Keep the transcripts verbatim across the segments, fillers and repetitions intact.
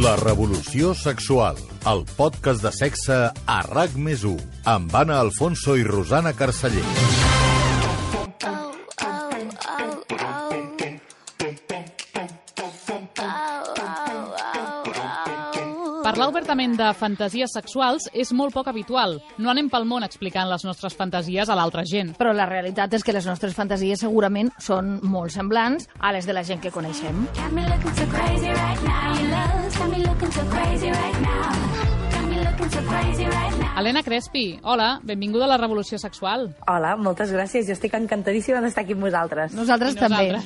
La revolució sexual, el podcast de sexe a RAC més u, amb Anna Alfonso i Rosana Carceller. Parlar obertament de fantasies sexuals és molt poc habitual. No anem pel món explicant les nostres fantasies a l'altra gent. Però la realitat és que les nostres fantasies segurament són molt semblants a les de la gent que coneixem. Elena Crespi, hola, benvinguda a la revolució sexual. Hola, moltes gràcies. Jo estic encantadíssima d'estar aquí amb vosaltres. Nosaltres també.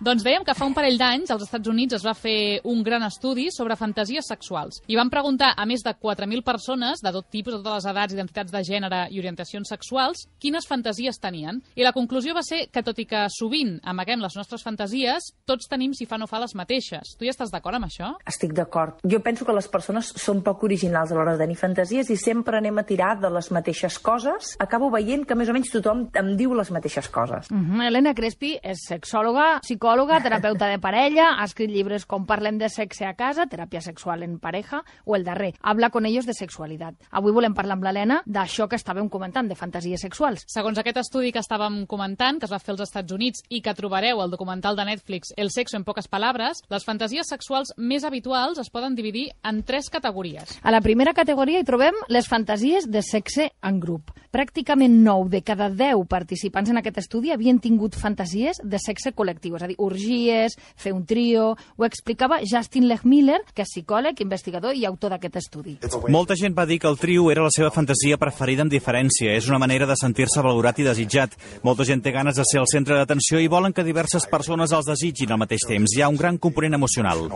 Doncs dèiem que fa un parell d'anys als Estats Units es va fer un gran estudi sobre fantasies sexuals. I van preguntar a més de quatre mil persones de tot tipus, de totes les edats, identitats de gènere i orientacions sexuals, quines fantasies tenien. I la conclusió va ser que, tot i que sovint amaguem les nostres fantasies, tots tenim, si fa no fa, les mateixes. Tu hi estàs d'acord amb això? Estic d'acord. Jo penso que les persones són poc originals a l'hora de tenir fantasies i sempre anem a tirar de les mateixes coses. Acabo veient que més o menys tothom em diu les mateixes coses. Uh -huh. Elena Crespi és sexòloga, psicòloga, terapeuta de parella, ha escrit llibres com Parlem de sexe a casa, teràpia sexual en pareja, o el darrer, Habla con ellos de sexualitat. Avui volem parlar amb l'Helena d'això que estàvem comentant, de fantasies sexuals. Segons aquest estudi que estàvem comentant, que es va fer als Estats Units i que trobareu al documental de Netflix El sexo en poques palabres, les fantasies sexuals més habituals es poden dividir en tres categories. A la primera categoria hi trobem les fantasies de sexe en grup. Pràcticament nou de cada deu participants en aquest estudi havien tingut fantasies de sexe col·lectiu, és a dir, orgies, fer un trio. Ho explicava Justin Lechmiller, que és psicòleg, investigador i autor d'aquest estudi. Molta gent va dir que el trio era la seva fantasia preferida amb diferència. És una manera de sentir-se valorat i desitjat. Molta gent té ganes de ser el centre d'atenció i volen que diverses persones els desitgin al mateix temps. Hi ha un gran component emocional.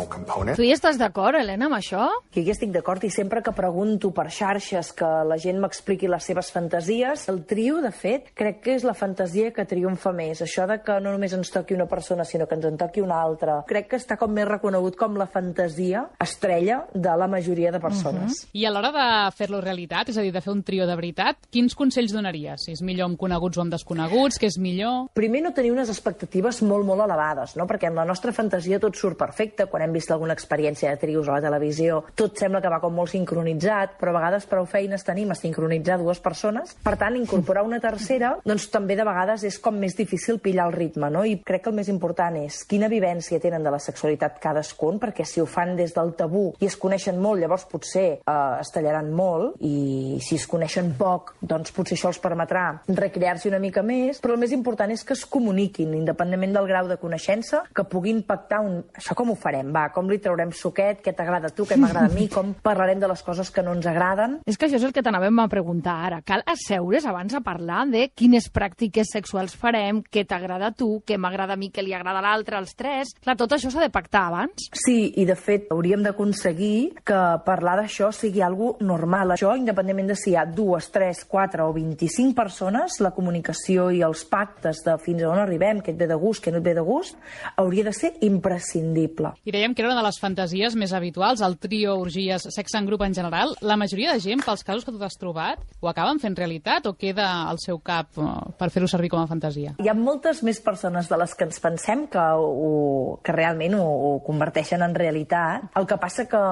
Tu hi estàs d'acord, Helena, amb això? Jo hi estic d'acord i sempre que pregunto per xarxes que la gent m'expliqui les seves fantasies, el trio, de fet, crec que és la fantasia que triomfa més. Això de que no només ens toqui una persona, sinó que ens en toqui una altra. Crec que està com més reconegut com la fantasia estrella de la majoria de persones. Uh-huh. I a l'hora de fer-lo realitat, és a dir, de fer un trio de veritat, quins consells donaries? Si és millor amb coneguts o amb desconeguts, què és millor? Primer, no tenir unes expectatives molt, molt elevades, no? Perquè en la nostra fantasia tot surt perfecte. Quan hem vist alguna experiència de trios a la televisió, tot sembla que va com molt sincronitzat, però a vegades prou feines tenim a sincronitzar dues persones. Per tant, incorporar una tercera, doncs també de vegades és com més difícil pillar el ritme, no? I crec que el més important és quina vivència tenen de la sexualitat cadascun, perquè si ho fan des del tabú i es coneixen molt, llavors potser eh, es tallaran molt, i si es coneixen poc, doncs potser això els permetrà recrear-s'hi una mica més, però el més important és que es comuniquin, independentment del grau de coneixença, que puguin pactar un... Això com ho farem? Va, com li traurem suquet? Què t'agrada a tu? Què m'agrada a mi? Com parlarem de les coses que no ens agraden? És que això és el que t'anàvem a preguntar ara. Cal asseure's abans a parlar de quines pràctiques sexuals farem, què t'agrada a tu, què m'agrada a mi, què li agrada a l'altre, als tres. Clar, tot això s'ha de pactar abans. Sí, i de fet hauríem d'aconseguir que parlar d'això sigui algo normal. Això, independentment de si hi ha dues, tres, quatre o vint-i-cinc persones, la comunicació i els pactes de fins a on arribem, què et ve de gust, què no et ve de gust, hauria de ser imprescindible. I dèiem que era una de les fantasies més habituals, el trio, orgies, sexe en grup en general. La majoria de gent, pels casos que tu t'has trobat, ho acaben fent realitat o queda al seu cap per fer-ho servir com a fantasia? Hi ha moltes més persones de les que ens pensem que, ho, que realment ho, ho converteixen en realitat. El que passa que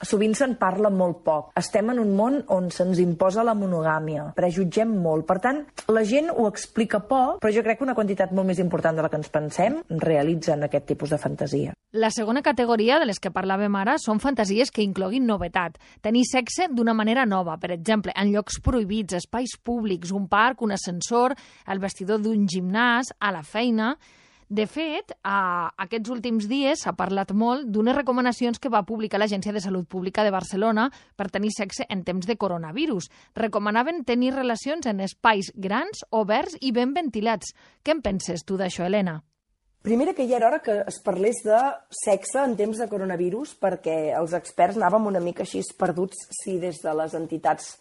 sovint se'n parla molt poc. Estem en un món on se'ns imposa la monogàmia, prejutgem molt. Per tant, la gent ho explica poc, però jo crec que una quantitat molt més important de la que ens pensem realitzen aquest tipus de fantasia. La segona categoria de les que parlàvem ara són fantasies que incloguin novetat. Tenir sexe d'una manera nova, per exemple, en llocs prohibits, espais públics, un parc, un ascensor, el vestidor d'un gimnàs, a la feina. De fet, a aquests últims dies s'ha parlat molt d'unes recomanacions que va publicar l'Agència de Salut Pública de Barcelona per tenir sexe en temps de coronavirus. Recomanaven tenir relacions en espais grans, oberts i ben ventilats. Què en penses tu d'això, Helena? Primera, que ja era hora que es parlés de sexe en temps de coronavirus, perquè els experts anàvem una mica així perduts si des de les entitats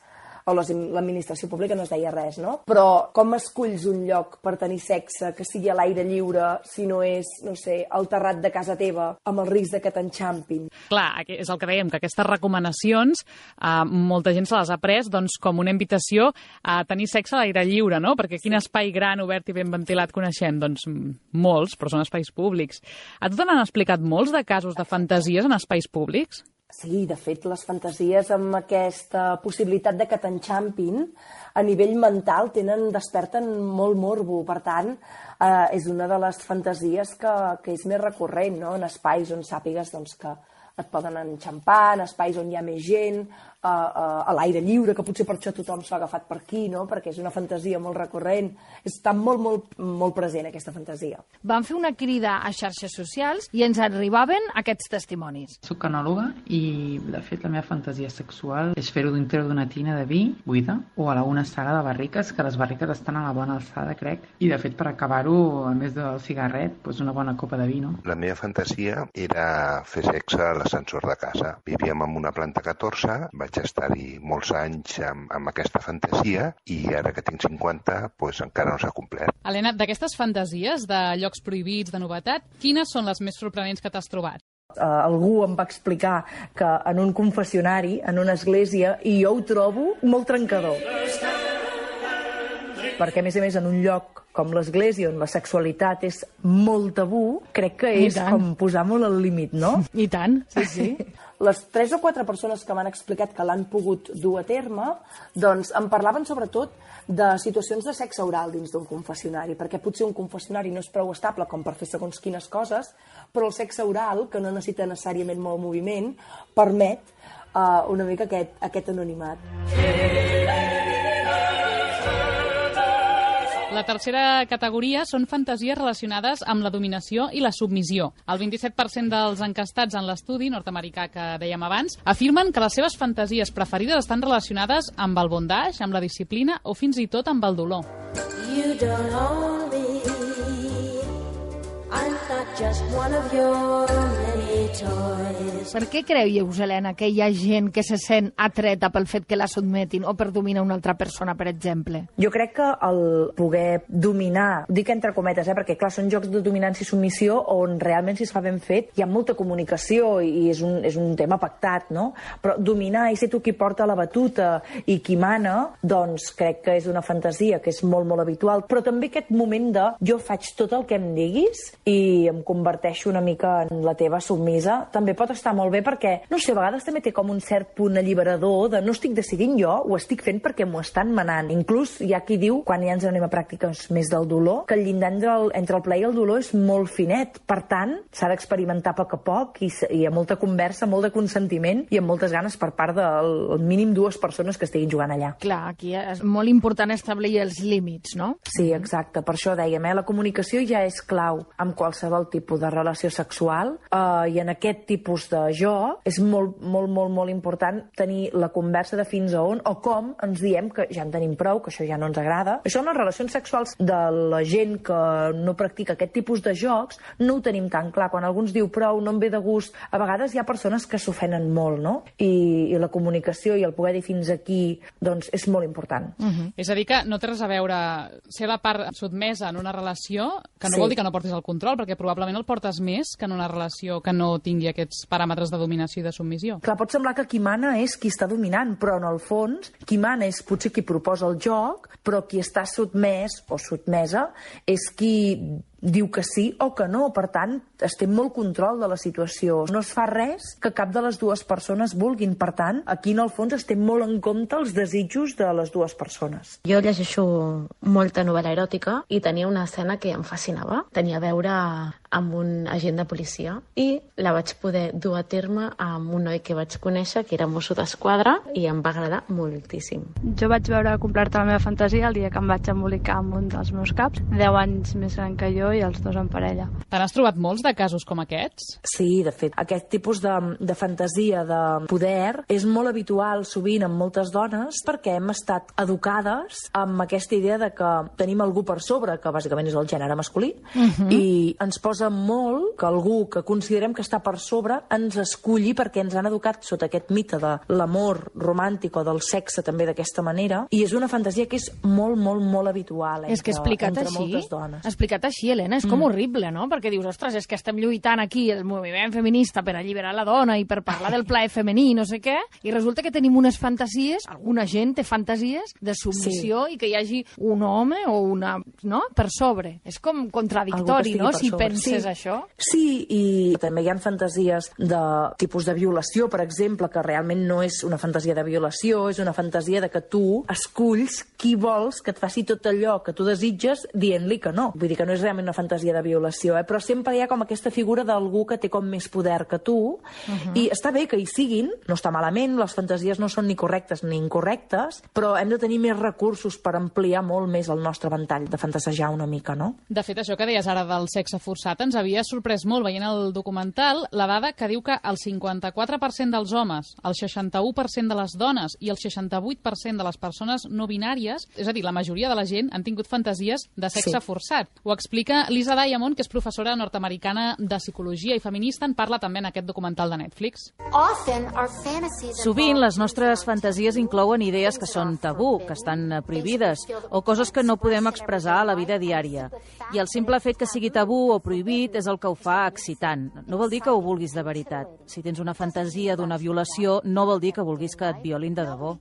o l'administració pública no es deia res, no? Però com esculls un lloc per tenir sexe que sigui a l'aire lliure si no és, no sé, al terrat de casa teva amb el risc de que t'enxampin? Clar, és el que dèiem, que aquestes recomanacions eh, molta gent se les ha pres doncs, com una invitació a tenir sexe a l'aire lliure, no? Perquè quin espai gran, obert i ben ventilat coneixem? Doncs molts, però són espais públics. A tu te n'han explicat molts de casos de fantasies en espais públics? Sí, de fet, les fantasies amb aquesta possibilitat de que t'enxampin a nivell mental tenen, desperten molt morbo. Per tant, eh, és una de les fantasies que, que és més recurrent, no? En espais on sàpigues doncs, que et poden enxampar, en espais on hi ha més gent, a, a, a l'aire lliure, que potser per això tothom s'ha agafat per aquí, no? Perquè és una fantasia molt recurrent. Està molt, molt, molt present, aquesta fantasia. Vam fer una crida a xarxes socials i ens arribaven aquests testimonis. Soc anòloga i, de fet, la meva fantasia sexual és fer-ho dintre d'una tina de vi buida o a una sala de barriques, que les barriques estan a la bona alçada, crec. I, de fet, per acabar-ho, a més del cigarret, doncs una bona copa de vi, no? La meva fantasia era fer sexe a l'ascensor de casa. Vivíem en una planta catorze, vaig estar-hi molts anys amb, amb aquesta fantasia i ara que tinc cinquanta, doncs encara no s'ha complert. Helena, d'aquestes fantasies de llocs prohibits, de novetat, quines són les més sorprenents que t'has trobat? Uh, algú em va explicar que en un confessionari, en una església, i jo ho trobo molt trencador. Perquè, a més a més, en un lloc com l'església, on la sexualitat és molt tabú, crec que és com posar molt al límit, no? I tant, sí, sí. Les tres o quatre persones que m'han explicat que l'han pogut dur a terme, doncs em parlaven sobretot de situacions de sexe oral dins d'un confessionari, perquè potser un confessionari no és prou estable com per fer segons quines coses, però el sexe oral, que no necessita necessàriament molt moviment, permet uh, una mica aquest, aquest anonimat. La tercera categoria són fantasies relacionades amb la dominació i la submissió. El vint-i-set per cent dels encastats en l'estudi nord-americà que dèiem abans afirmen que les seves fantasies preferides estan relacionades amb el bondage, amb la disciplina o fins i tot amb el dolor. You don't own me. I'm not just one of your many toys. Per què creieu, Helena, que hi ha gent que se sent atreta pel fet que la sotmetin o per dominar una altra persona, per exemple? Jo crec que el poder dominar, dic entre cometes, eh, perquè clar, són jocs de dominància i submissió on realment, si es fa ben fet, hi ha molta comunicació i és un, és un tema pactat, no? Però dominar i ser tu qui porta la batuta i qui mana, doncs crec que és una fantasia que és molt, molt habitual. Però també aquest moment de jo faig tot el que em diguis i em converteixo una mica en la teva submisa, també pot estar molt bé perquè, no sé, a vegades també té com un cert punt alliberador de no estic decidint jo, ho estic fent perquè m'ho estan manant. Inclús hi ha qui diu, quan ja ens anem a pràctiques més del dolor, que el llindar entre el, entre el plaer i el dolor és molt finet. Per tant, s'ha d'experimentar a poc a poc i, i amb molta conversa, molt de consentiment i amb moltes ganes per part del mínim dues persones que estiguin jugant allà. Clar, aquí és molt important establir els límits, no? Sí, exacte. Per això dèiem, eh? La comunicació ja és clau amb qualsevol tipus de relació sexual eh, i en aquest tipus de joc és molt, molt, molt, molt important tenir la conversa de fins a on o com ens diem que ja en tenim prou, que això ja no ens agrada. Això en les relacions sexuals de la gent que no practica aquest tipus de jocs no ho tenim tan clar. Quan algú ens diu prou, no em ve de gust, a vegades hi ha persones que s'ofenen molt, no? I, i la comunicació i el poder dir fins aquí doncs és molt important. Uh-huh. És a dir que no té res a veure ser la part sotmesa en una relació, que no Sí. vol dir que no portis el control, perquè probablement el portes més que en una relació que no tingui aquests paràmetres de dominació i de submissió. Clar, pot semblar que qui mana és qui està dominant, però en el fons qui mana és potser qui proposa el joc, però qui està sotmès o sotmesa és qui diu que sí o que no. Per tant, es té molt control de la situació. No es fa res que cap de les dues persones vulguin. Per tant, aquí en el fons es té molt en compte els desitjos de les dues persones. Jo llegeixo molta novel·la eròtica i tenia una escena que em fascinava. Tenia a veure amb un agent de policia i la vaig poder dur a terme amb un noi que vaig conèixer, que era mosso d'esquadra, i em va agradar moltíssim. Jo vaig veure completa la meva fantasia el dia que em vaig embolicar amb un dels meus caps, deu anys més gran que jo i els dos en parella. Te n'has trobat molts de casos com aquests? Sí, de fet, aquest tipus de, de fantasia de poder és molt habitual sovint en moltes dones perquè hem estat educades amb aquesta idea de que tenim algú per sobre, que bàsicament és el gènere masculí, uh-huh. i ens posa molt que algú que considerem que està per sobre ens esculli perquè ens han educat sota aquest mite de l'amor romàntic o del sexe també d'aquesta manera, i és una fantasia que és molt, molt, molt habitual entre, és que explicat entre així, moltes dones. Explicat així, Helena, és com mm. horrible, no? Perquè dius, ostres, és que estem lluitant aquí el moviment feminista per alliberar la dona i per parlar del plaer femení, no sé què, i resulta que tenim unes fantasies, alguna gent té fantasies de submissió sí. i que hi hagi un home o una, no?, per sobre. És com contradictori, no?, si sobre, penses sí. això? Sí, i també hi ha fantasies de tipus de violació, per exemple, que realment no és una fantasia de violació, és una fantasia de que tu esculls qui vols que et faci tot allò que tu desitges dient-li que no. Vull dir que no és realment una fantasia de violació, eh? Però sempre hi ha com aquesta figura d'algú que té com més poder que tu, uh-huh. i està bé que hi siguin, no està malament, les fantasies no són ni correctes ni incorrectes, però hem de tenir més recursos per ampliar molt més el nostre ventall de fantasejar una mica, no? De fet, això que deies ara del sexe forçat ens havia sorprès molt veient el documental la dada que diu que el cinquanta-quatre per cent dels homes, el seixanta-u per cent de les dones i el seixanta-vuit per cent de les persones no binàries, és a dir, la majoria de la gent han tingut fantasies de sexe sí. forçat. Ho explica Lisa Diamond, que és professora nord-americana de psicologia i feminista, en parla també en aquest documental de Netflix. Sovint les nostres fantasies inclouen idees que són tabú, que estan prohibides, o coses que no podem expressar a la vida diària. I el simple fet que sigui tabú o prohibit és el que ho fa excitant. No vol dir que ho vulguis de veritat. Si tens una fantasia d'una violació, no vol dir que vulguis que et violin de debò.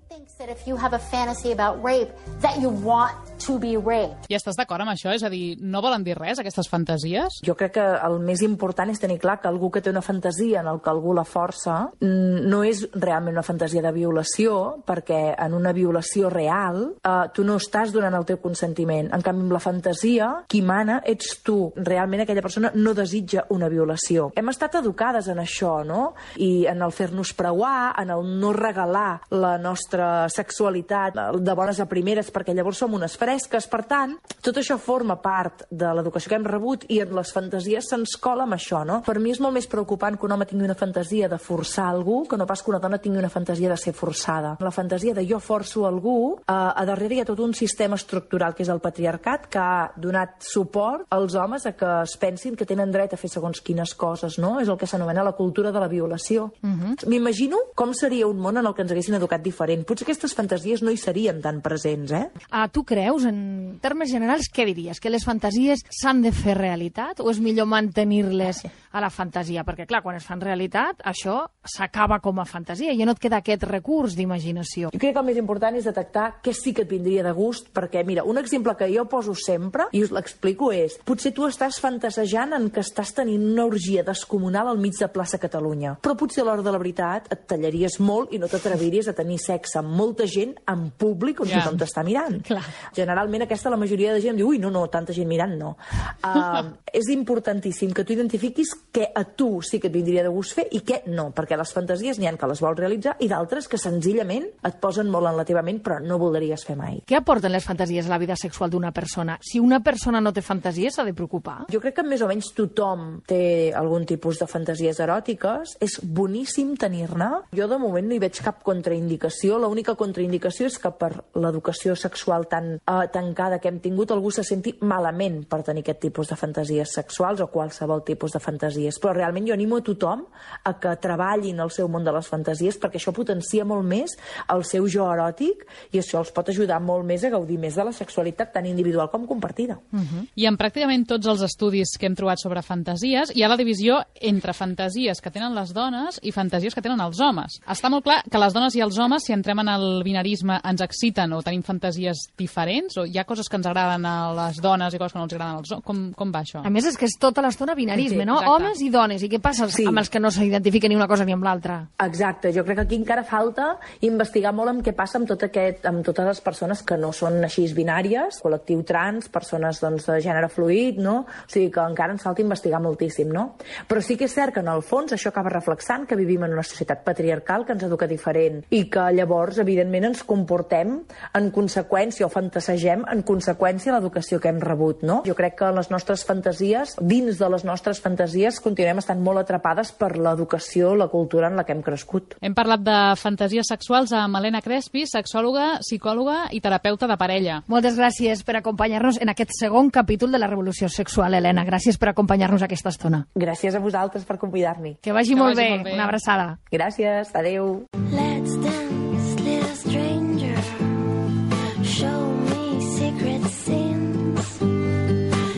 I estàs d'acord amb això? És a dir, no volen dir res, aquestes fantasies? Jo crec que el més important és tenir clar que algú que té una fantasia en el que algú la força no és realment una fantasia de violació, perquè en una violació real eh, tu no estàs donant el teu consentiment. En canvi, amb la fantasia, qui mana ets tu. Realment aquella persona no desitja una violació. Hem estat educades en això, no? I en el fer-nos preuar, en el no regalar la nostra sexualitat de bones a primeres, perquè llavors som unes fresques. Per tant, tot això forma part de l'educació que hem rebut i en les fantasies se'ns cola amb això, no? Per mi és molt més preocupant que un home tingui una fantasia de forçar algú que no pas que una dona tingui una fantasia de ser forçada. La fantasia de jo forço algú, eh, a darrere hi ha tot un sistema estructural que és el patriarcat, que ha donat suport als homes a que es pensin que tenen dret a fer segons quines coses, no? És el que s'anomena la cultura de la violació. Uh-huh. M'imagino com seria un món en el que ens haguessin educat diferent. Potser aquestes fantasies no hi serien tan presents, eh? Ah, tu creus, en termes generals, què diries? Que les fantasies s'han de fer realitat o és millor mantenir-les a la fantasia? Perquè, clar, quan es fan realitat, això s'acaba com a fantasia i ja no et queda aquest recurs d'imaginació. Jo crec que el més important és detectar què sí que et vindria de gust, perquè, mira, un exemple que jo poso sempre, i us l'explico, és potser tu estàs fantasejant en que estàs tenint una orgia descomunal al mig de plaça Catalunya, però potser a l'hora de la veritat et tallaries molt i no t'atreviries a tenir sexe amb molta gent en públic on yeah. tothom t'està mirant. Clar. Generalment aquesta la majoria de gent diu, ui, no, no, tanta gent mirant, no. Uh, és importantíssim que tu identifiquis què a tu sí que et vindria de gust fer i què no, perquè les fantasies n'hi ha que les vols realitzar i d'altres que senzillament et posen molt en la teva ment però no voldries fer mai. Què aporten les fantasies a la vida sexual d'una persona? Si una persona no té fantasies, s'ha de preocupar? Jo crec que més o menys tothom té algun tipus de fantasies eròtiques. És boníssim tenir-ne. Jo de moment no hi veig cap contraindicació. L'única contraindicació és que per l'educació sexual tan eh, tancada que hem tingut algú se senti malament per tenir aquest tipus de fantasies sexuals o qualsevol tipus de fantasies. Però realment jo animo a tothom a que treballin el seu món de les fantasies perquè això potencia molt més el seu jo eròtic i això els pot ajudar molt més a gaudir més de la sexualitat tant individual com compartida. Uh-huh. I en pràcticament tots els estudis que hem trobat sobre fantasies hi ha la divisió entre fantasies que tenen les dones i fantasies que tenen els homes. Està molt clar que les dones i els homes, si entrem en el binarisme, ens exciten o tenim fantasies diferents, o hi ha coses que ens agraden a les dones i coses que no ens agraden als homes? Com, com va això? A més, és que és tota l'estona binarisme, sí, no? Exacte. Homes i dones. I què passa sí. amb els que no s'identifiquen ni una cosa ni amb l'altra? Exacte. Jo crec que aquí encara falta investigar molt amb què passa amb, tot aquest, amb totes les persones que no són així binàries, col·lectiu trans, persones doncs, de gènere fluid, no? O sigui que encara ens falta investigar moltíssim, no? Però sí que és cert que en el fons això acaba reflexant que vivim en una societat patriarcal que ens educa diferent i que llavors, evidentment, ens comportem en conseqüència o fantasegem en conseqüència a l'educació que hem rebut, no? Jo crec que les nostres fantasies, dins de les nostres fantasies, continuem estant molt atrapades per l'educació, la cultura en la que hem crescut. Hem parlat de fantasies sexuals amb Helena Crespi, sexòloga, psicòloga i terapeuta de parella. Moltes gràcies per acompanyar-nos en aquest segon capítol de la revolució sexual, Helena. Gràcies per acompanyar-nos aquesta estona. Gràcies a vosaltres per convidar-m'hi. Que vagi, que molt, vagi bé. molt bé. Una abraçada. Gràcies. Adéu. Let's dance, little stranger. Show me secret sins.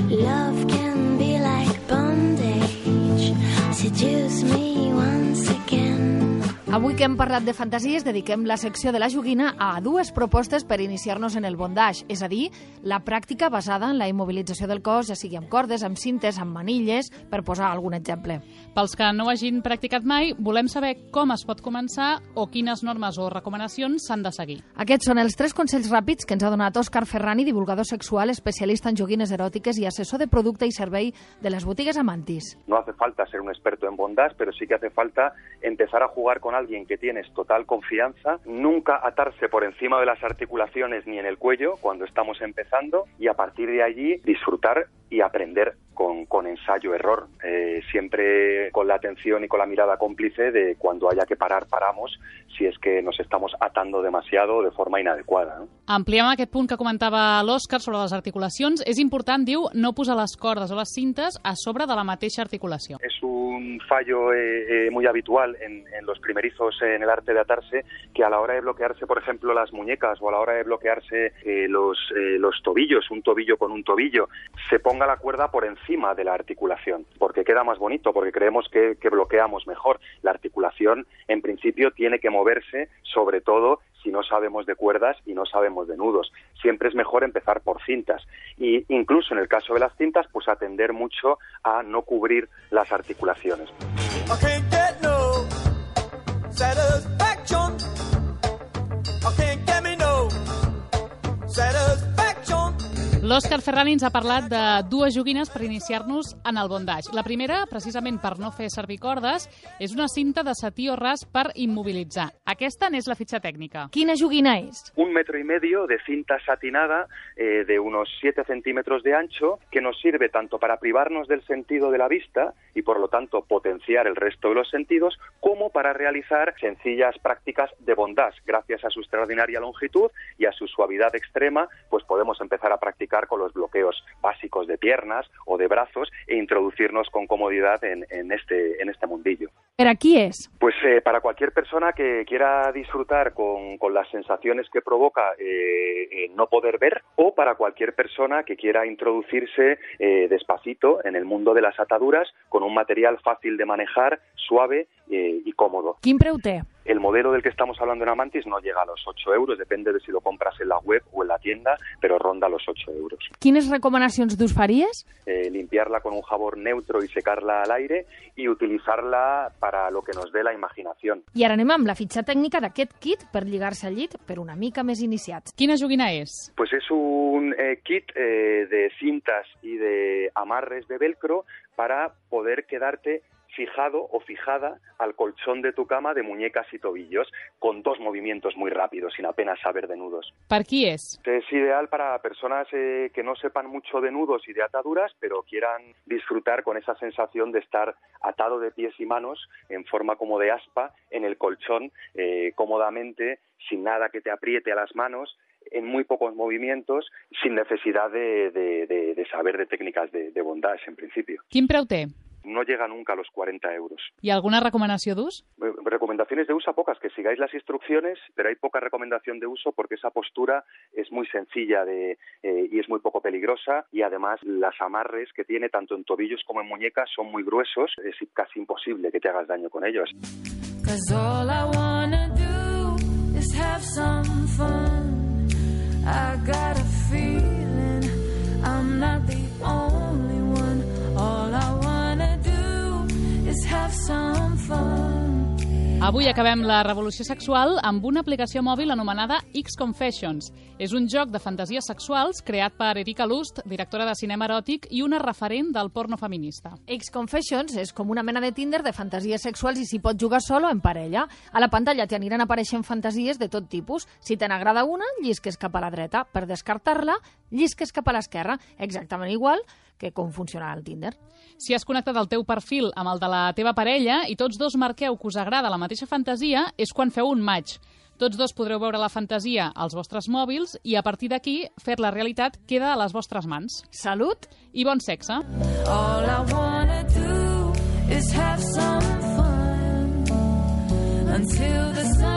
Love can be like bondage. Seduce me once again. Avui que hem parlat de fantasies, dediquem la secció de la joguina a dues propostes per iniciar-nos en el bondage, és a dir, la pràctica basada en la immobilització del cos, ja sigui amb cordes, amb cintes, amb manilles, per posar algun exemple. Pels que no ho hagin practicat mai, volem saber com es pot començar o quines normes o recomanacions s'han de seguir. Aquests són els tres consells ràpids que ens ha donat Òscar Ferrani, divulgador sexual, especialista en joguines eròtiques i assessor de producte i servei de les botigues Amantis. No hace falta ser un experto en bondage, pero sí que hace falta empezar a jugar con alguien que tienes total confianza, nunca atarse por encima de las articulaciones ni en el cuello cuando estamos empezando y a partir de allí disfrutar y aprender con, con ensayo-error, eh, siempre con la atención y con la mirada cómplice de cuando haya que parar, paramos, si es que nos estamos atando demasiado de forma inadecuada. No? Ampliem aquest punt que comentava l'Òscar sobre les articulacions. És important, diu, no posar les cordes o les cintes a sobre de la mateixa articulació. Es un fallo eh, eh, muy habitual en, en los primerizos en el arte de atarse, que a la hora de bloquearse, por ejemplo, las muñecas o a la hora de bloquearse eh, los, eh, los tobillos, un tobillo con un tobillo, se ponga la cuerda por encima de la articulación, porque queda más bonito, porque creemos que, que bloqueamos mejor. La articulación, en principio, tiene que moverse, sobre todo si no sabemos de cuerdas y no sabemos de nudos. Siempre es mejor empezar por cintas. Y incluso en el caso de las cintas, pues atender mucho a no cubrir las articulaciones. L'Òscar Ferrani ens ha parlat de dues joguines per iniciar-nos en el bondage. La primera, precisament per no fer servir cordes, és una cinta de setí o ras per immobilitzar. Aquesta n'és la fitxa tècnica. Quina joguina és? Un metro y medio de cinta satinada eh, de unos siete centímetros de ancho que nos sirve tanto para privarnos del sentido de la vista y por lo tanto potenciar el resto de los sentidos, como para realizar sencillas prácticas de bondage. Gracias a su extraordinaria longitud y a su suavidad extrema, pues podemos empezar a practicar con los bloqueos básicos de piernas o de brazos e introducirnos con comodidad en, en, este, en este mundillo. ¿Para quién es? Pues eh, para cualquier persona que quiera disfrutar con, con las sensaciones que provoca eh, eh, no poder ver, o para cualquier persona que quiera introducirse eh, despacito en el mundo de las ataduras con un material fácil de manejar, suave eh, y cómodo. ¿Quin preu té? El modelo del que estamos hablando en Amantis no llega a los ocho euros, depende de si lo compras en la web o en la tienda, pero ronda los ocho euros. Quines recomanacions d'ús faries? Eh, limpiarla con un jabón neutro y secarla al aire y utilizarla para lo que nos dé la imaginación. I ara anem amb la fitxa tècnica d'aquest kit per lligar-se al llit per una mica més iniciats. Quina joguina és? Pues es un eh, kit eh, de cintas y de amarres de velcro para poder quedarte fijado o fijada al colchón de tu cama de muñecas y tobillos con dos movimientos muy rápidos sin apenas saber de nudos. Per qui és? Es ideal para personas eh, que no sepan mucho de nudos y de ataduras, pero quieran disfrutar con esa sensación de estar atado de pies y manos en forma como de aspa en el colchón, eh, cómodamente, sin nada que te apriete a las manos, en muy pocos movimientos, sin necesidad de, de, de, de saber de técnicas de, de bondage, en principio. Quin preu té? No llega nunca a los cuarenta euros. ¿Y alguna recomanació d'ús? Recomendaciones de uso pocas, que sigáis las instrucciones, pero hay poca recomendación de uso porque esa postura es muy sencilla de, eh, y es muy poco peligrosa, y además las amarres que tiene tanto en tobillos como en muñecas son muy gruesos, es casi imposible que te hagas daño con ellos. I got a feeling I'm not the only one. All I wanna do is have some fun. Avui acabem la revolució sexual amb una aplicació mòbil anomenada X-Confessions. És un joc de fantasies sexuals creat per Erika Lust, directora de cinema eròtic i una referent del porno feminista. X-Confessions és com una mena de Tinder de fantasies sexuals i s'hi pot jugar solo o en parella. A la pantalla t'aniran apareixent fantasies de tot tipus. Si te n'agrada una, llisques cap a la dreta. Per descartar-la, llisques cap a l'esquerra. Exactament igual que com funciona el Tinder. Si has connectat el teu perfil amb el de la teva parella i tots dos marqueu que us agrada la mateixa fantasia, és quan feu un match. Tots dos podreu veure la fantasia als vostres mòbils i a partir d'aquí fer-la realitat queda a les vostres mans. Salut i bon sexe. All I wanna do is have some fun until the sun